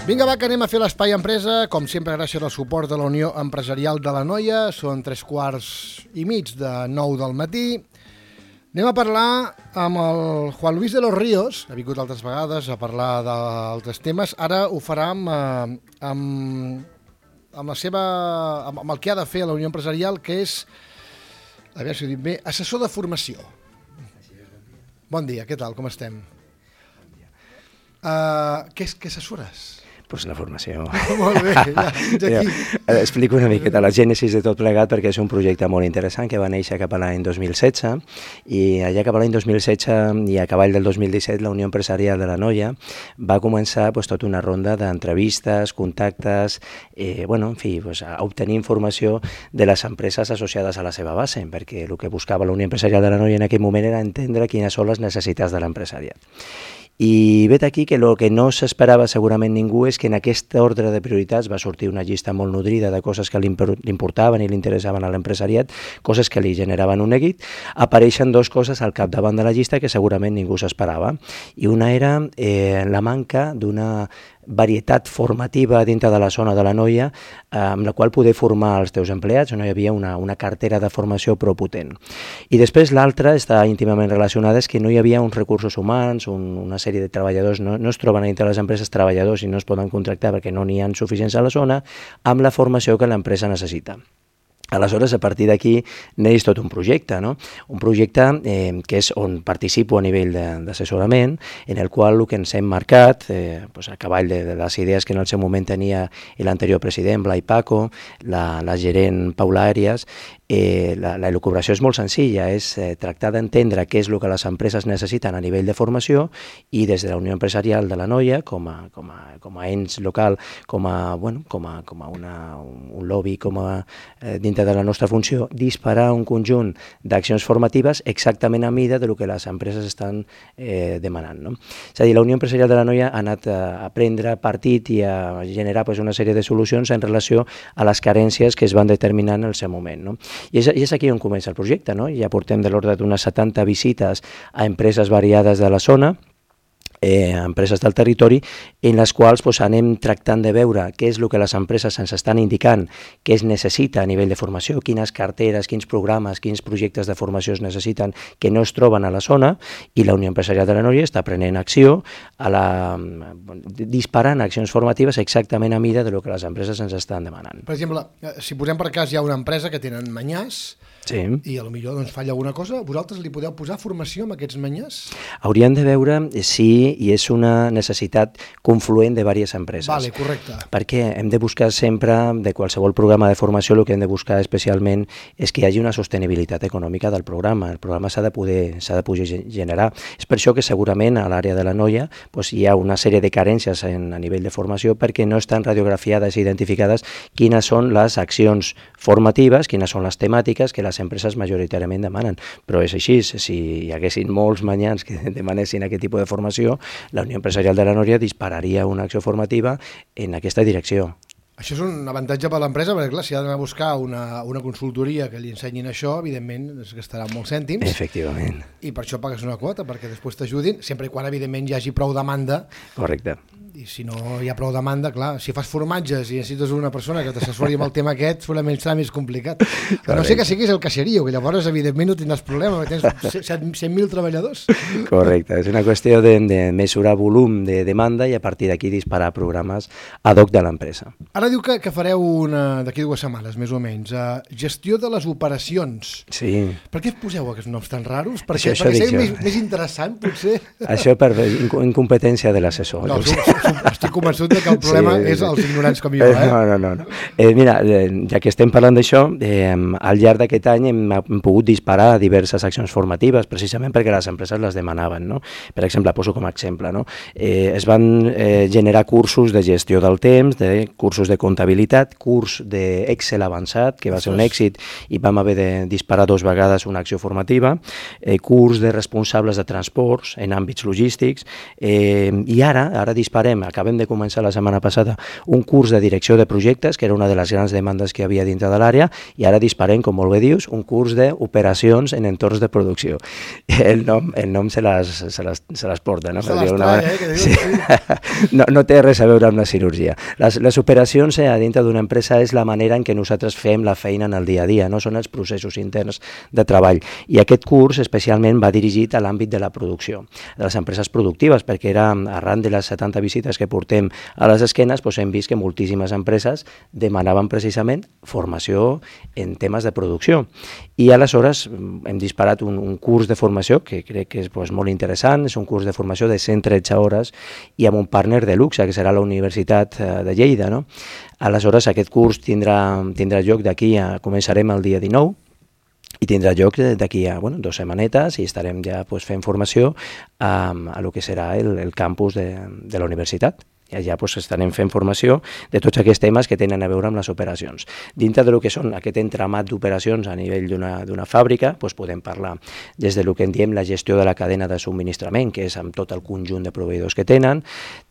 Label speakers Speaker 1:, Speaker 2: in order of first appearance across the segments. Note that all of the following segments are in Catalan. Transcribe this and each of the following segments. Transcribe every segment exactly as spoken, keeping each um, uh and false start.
Speaker 1: Vinga, va, que anem a fer l'Espai Empresa, com sempre gràcies al suport de la Unió Empresarial de l'Anoia. Són tres quarts i mig de nou del matí. Anem a parlar amb el Juan Luis de los Ríos, ha vingut altres vegades a parlar d'altres temes. Ara ho farà amb, amb, amb, la seva, amb el que ha de fer la Unió Empresarial, que és, a veure si ho dic bé, assessor de formació. Bon dia, què tal, com estem? Uh, què, què assessores?
Speaker 2: Pues la formació.
Speaker 1: Molt bé, ja, fins aquí.
Speaker 2: Ja, explico una miqueta la gènesis de tot plegat perquè és un projecte molt interessant que va néixer cap a l'any dos mil setze i allà cap a l'any dos mil setze i a cavall del dos mil disset la Unió Empresarial de l'Anoia va començar pues, tota una ronda d'entrevistes, contactes, eh, bueno, en fi, pues, a obtenir informació de les empreses associades a la seva base, perquè el que buscava la Unió Empresarial de l'Anoia en aquell moment era entendre quines són les necessitats de l'empresariat. I vet aquí que el que no s'esperava segurament ningú és que en aquest ordre de prioritats va sortir una llista molt nodrida de coses que li importaven i li interessaven a l'empresariat, coses que li generaven un neguit. Apareixen dues coses al capdavant de la llista que segurament ningú s'esperava. I una era eh, la manca d'una varietat formativa dintre de la zona de l'Anoia eh, amb la qual poder formar els teus empleats, no hi havia una, una cartera de formació prou potent. I després l'altra està íntimament relacionada, és que no hi havia uns recursos humans, un, una sèrie de treballadors, no, no es troben a dintre de les empreses treballadors i no es poden contractar perquè no n'hi ha suficients a la zona, amb la formació que l'empresa necessita. Aleshores, a partir d'aquí, neix tot un projecte, no? Un projecte eh, que és on participo a nivell d'assessorament, en el qual el que ens hem marcat, eh, pues a cavall de, de les idees que en el seu moment tenia l'anterior president, Blai Paco, la, la gerent Paula Àries, eh, la, la elucubració és molt senzilla, és eh, tractar d'entendre què és el que les empreses necessiten a nivell de formació i des de la Unió Empresarial de l'Anoia, com a, com a, com a ens local, com a, bueno, com a, com a una, un lobby, com a eh, dintre de la nostra funció, disparar un conjunt d'accions formatives exactament a mida del que les empreses estan eh, demanant. No? És a dir, la Unió Empresarial de l'Anoia ha anat a, a prendre partit i a generar pues, una sèrie de solucions en relació a les carències que es van determinar en el seu moment. No? I, és, I és aquí on comença el projecte. No? Ja portem de l'ordre d'unes setanta visites a empreses variades de la zona, Eh, empreses del territori, en les quals pues, anem tractant de veure què és el que les empreses ens estan indicant que es necessita a nivell de formació, quines carteres, quins programes, quins projectes de formació es necessiten que no es troben a la zona, i la Unió Empresarial de l'Anoia està prenent acció, a la, disparant accions formatives exactament a mida del que les empreses ens estan demanant.
Speaker 1: Per exemple, si posem per cas hi ha una empresa que tenen manyars, sí. I potser doncs, falla alguna cosa, vosaltres li podeu posar formació amb aquests manyars?
Speaker 2: Hauríem de veure si i és una necessitat confluent de diverses empreses.
Speaker 1: Vale, correcte.
Speaker 2: Perquè hem de buscar sempre, de qualsevol programa de formació, el que hem de buscar especialment és que hi hagi una sostenibilitat econòmica del programa. El programa s'ha de poder, s'ha de poder generar. És per això que segurament a l'àrea de l'Anoia doncs, hi ha una sèrie de carències en, a nivell de formació perquè no estan radiografiades i identificades quines són les accions formatives, quines són les temàtiques que les empreses majoritàriament demanen. Però és així, si hi haguessin molts manyans que demanessin aquest tipus de formació, la Unió Empresarial de l'Anoia dispararia una acció formativa en aquesta direcció.
Speaker 1: Això és un avantatge per a l'empresa, perquè clar, si ha d'anar a buscar una, una consultoria que li ensenyin això, evidentment es gastarà molts cèntims.
Speaker 2: Efectivament.
Speaker 1: I per això pagues una quota, perquè després t'ajudin, sempre i quan evidentment hi hagi prou demanda.
Speaker 2: Correcte.
Speaker 1: I si no hi ha prou demanda, clar, si fas formatges i necessites una persona que t'assessori amb el tema aquest, segurament serà més complicat. A no ser que siguis el caixerio, que llavors evidentment no tindràs problema, perquè tens cent mil treballadors.
Speaker 2: Correcte, és una qüestió de, de mesurar volum de demanda i a partir d'aquí disparar programes ad hoc de l'empresa.
Speaker 1: Ara diu que, que fareu una d'aquí dues setmanes, més o menys, uh, gestió de les operacions.
Speaker 2: Sí. Per
Speaker 1: què poseu aquests noms tan raros? Perquè, això, això perquè sigui més, més interessant, potser.
Speaker 2: Això per incompetència de l'assessor.
Speaker 1: No, estic convençut que el problema sí, és els ignorants com jo. Eh?
Speaker 2: No, no, no. no. Eh, mira, eh, ja que estem parlant d'això, eh, al llarg d'aquest any hem, hem pogut disparar diverses accions formatives, precisament perquè les empreses les demanaven. No? Per exemple, poso com a exemple, no? eh, es van eh, generar cursos de gestió del temps, de cursos de de comptabilitat, curs d'Excel avançat, que va ser un èxit i vam haver de disparar dos vegades una acció formativa, eh, curs de responsables de transports en àmbits logístics, eh, i ara, ara disparem, acabem de començar la setmana passada, un curs de direcció de projectes, que era una de les grans demandes que hi havia dintre de l'àrea, i ara disparem, com molt bé dius, un curs d'operacions en entorns de producció. El nom, el nom se les, se les, se les porta, no?
Speaker 1: Se les trae, eh? Que dius,
Speaker 2: sí. Sí. No, no té res a veure amb la cirurgia. Les, les operacions eh, a dintre d'una empresa és la manera en què nosaltres fem la feina en el dia a dia, no són els processos interns de treball. I aquest curs especialment va dirigit a l'àmbit de la producció, de les empreses productives, perquè era arran de les setanta visites que portem a les esquenes, doncs hem vist que moltíssimes empreses demanaven precisament formació en temes de producció. I aleshores hem disparat un, un curs de formació que crec que és pues, molt interessant, és un curs de formació de cent tretze hores i amb un partner de luxe, que serà la Universitat de Lleida, no? Aleshores, aquest curs tindrà, tindrà lloc d'aquí a... Començarem el dia dinou i tindrà lloc d'aquí a bueno, dues setmanetes i estarem ja pues, fent formació a, a lo que serà el, el campus de, de la universitat. I allà pues, estarem fent formació de tots aquests temes que tenen a veure amb les operacions. Dintre del que són aquest entramat d'operacions a nivell d'una fàbrica, pues, podem parlar des del que en diem la gestió de la cadena de subministrament, que és amb tot el conjunt de proveïdors que tenen.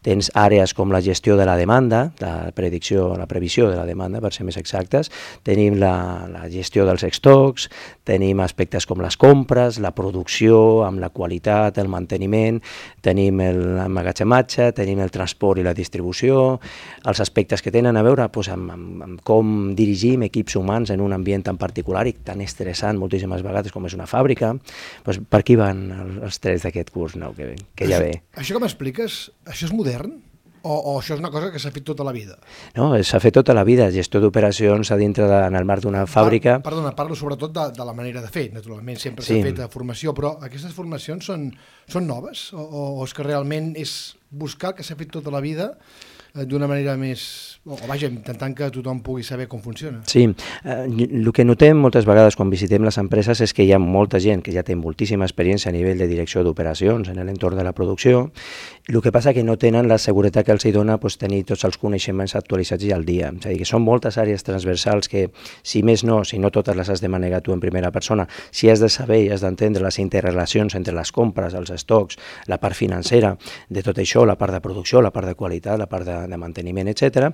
Speaker 2: Tens àrees com la gestió de la demanda, la predicció, la previsió de la demanda, per ser més exactes. Tenim la, la gestió dels stocks, tenim aspectes com les compres, la producció, amb la qualitat, el manteniment, tenim l'emmagatzematge, tenim el transport i la distribució, els aspectes que tenen a veure doncs, amb, amb, amb com dirigim equips humans en un ambient tan particular i tan estressant moltíssimes vegades com és una fàbrica. Doncs per aquí van els tres d'aquest curs nou que, que ja ve.
Speaker 1: Això que m'expliques, això és modern? O, o això és una cosa que s'ha fet tota la vida?
Speaker 2: No, s'ha fet tota la vida, gestió d'operacions a dintre de, en el marc d'una fàbrica.
Speaker 1: Par, perdona, parlo sobretot de, de la manera de fer, naturalment sempre s'ha sí. fet formació, però aquestes formacions són, són noves? O, o és que realment és buscar el que s'ha fet tota la vida d'una manera més... o vaja, intentant que tothom pugui saber com funciona.
Speaker 2: Sí, eh, el que notem moltes vegades quan visitem les empreses és que hi ha molta gent que ja té moltíssima experiència a nivell de direcció d'operacions en l'entorn de la producció. El que passa que no tenen la seguretat que els hi dona pues, tenir tots els coneixements actualitzats i al dia. És a dir, que són moltes àrees transversals que, si més no, si no totes les has de manegar tu en primera persona, si has de saber i has d'entendre les interrelacions entre les compres, els estocs, la part financera de tot això, la part de producció, la part de qualitat, la part de de manteniment, etcètera.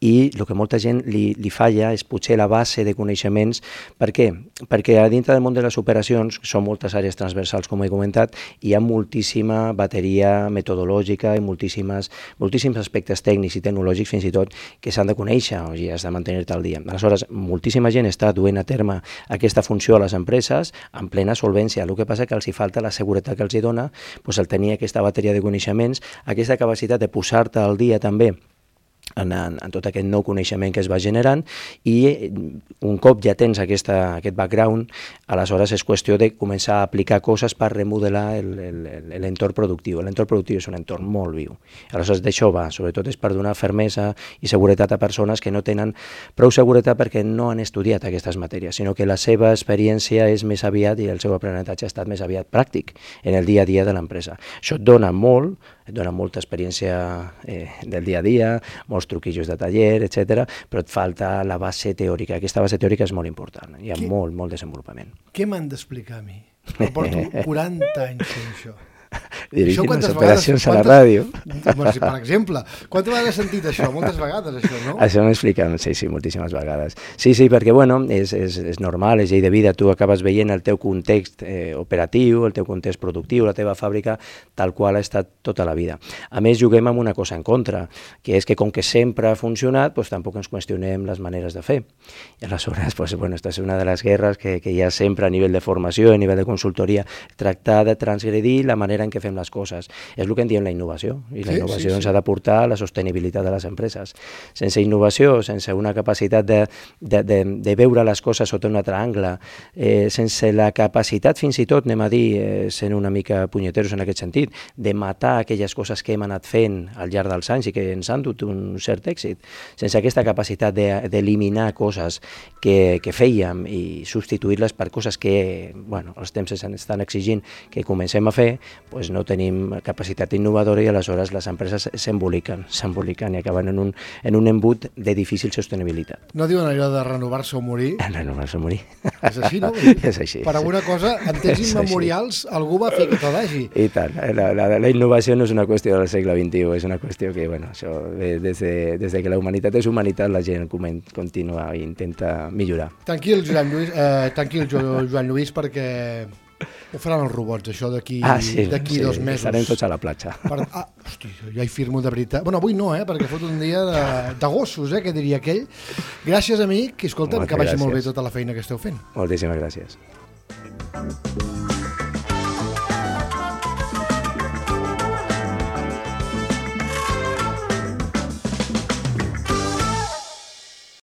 Speaker 2: I el que molta gent li, li falla és potser la base de coneixements. Per què? Perquè a dintre del món de les operacions, són moltes àrees transversals, com he comentat, hi ha moltíssima bateria metodològica i moltíssimes, moltíssims aspectes tècnics i tecnològics fins i tot que s'han de conèixer o ja has de mantenir-te al dia. Aleshores, moltíssima gent està duent a terme aquesta funció a les empreses en plena solvència. El que passa que els hi falta la seguretat que els hi dona doncs, el tenir aquesta bateria de coneixements, aquesta capacitat de posar-te al dia també En, en, en tot aquest nou coneixement que es va generant i un cop ja tens aquesta, aquest background, aleshores és qüestió de començar a aplicar coses per remodelar l'entorn productiu. L'entorn productiu és un entorn molt viu. Aleshores d'això va, sobretot és per donar fermesa i seguretat a persones que no tenen prou seguretat perquè no han estudiat aquestes matèries, sinó que la seva experiència és més aviat i el seu aprenentatge ha estat més aviat pràctic en el dia a dia de l'empresa. Això et dona molt, et dona molta experiència eh, del dia a dia, molts truquillos de taller, etcètera, però et falta la base teòrica. Aquesta base teòrica és molt important. Hi ha Què? molt, molt desenvolupament.
Speaker 1: Què m'han d'explicar a mi? Jo porto quaranta anys fent això.
Speaker 2: Dirigint les operacions a la ràdio.
Speaker 1: Bueno, per exemple, quantes vegades has sentit això? Moltes vegades, això, no?
Speaker 2: Això m'ho expliquen, sí, sí, moltíssimes vegades. Sí, sí, perquè, bueno, és, és, és normal, és llei de vida, tu acabes veient el teu context eh, operatiu, el teu context productiu, la teva fàbrica, tal qual ha estat tota la vida. A més, juguem amb una cosa en contra, que és que com que sempre ha funcionat, doncs tampoc ens qüestionem les maneres de fer. I aleshores, doncs, bueno, esta és una de les guerres que, que hi ha sempre a nivell de formació, a nivell de consultoria, tractar de transgredir la manera en què fem les coses. És el que en diem la innovació, i la sí, innovació sí, ens sí. ha de portar a la sostenibilitat de les empreses. Sense innovació, sense una capacitat de, de, de, de veure les coses sota un altre angle, eh, sense la capacitat, fins i tot, anem a dir, eh, sent una mica punyeteros en aquest sentit, de matar aquelles coses que hem anat fent al llarg dels anys i que ens han dut un cert èxit, sense aquesta capacitat d'eliminar de, coses que, que fèiem i substituir-les per coses que, bueno, els temps estan exigint que comencem a fer, doncs no tenim capacitat innovadora i aleshores les empreses s'emboliquen, s'emboliquen i acaben en un, en un embut de difícil sostenibilitat.
Speaker 1: No diuen allò de renovar-se o morir?
Speaker 2: Renovar-se o morir.
Speaker 1: És així, no?
Speaker 2: És així.
Speaker 1: Per alguna cosa, en temps immemorials, algú va fer que tot hagi.
Speaker 2: I tant. La, la, la innovació no és una qüestió del segle vint-i-u, és una qüestió que, bueno, això, des de, des de que la humanitat és humanitat, la gent continua i intenta millorar.
Speaker 1: Tranquil, Joan Lluís, eh, tranquil, Joan Lluís, perquè ho faran els robots, això d'aquí
Speaker 2: ah, sí,
Speaker 1: d'aquí
Speaker 2: sí,
Speaker 1: dos mesos.
Speaker 2: Estarem tots a la platja.
Speaker 1: Per, ah, hosti, ja hi firmo de veritat. Bueno, avui no, eh, perquè fot un dia de, de gossos, eh, que diria aquell. Gràcies, amic, i escolta'm, que vagi gràcies. Molt bé tota la feina que esteu fent.
Speaker 2: Moltíssimes gràcies.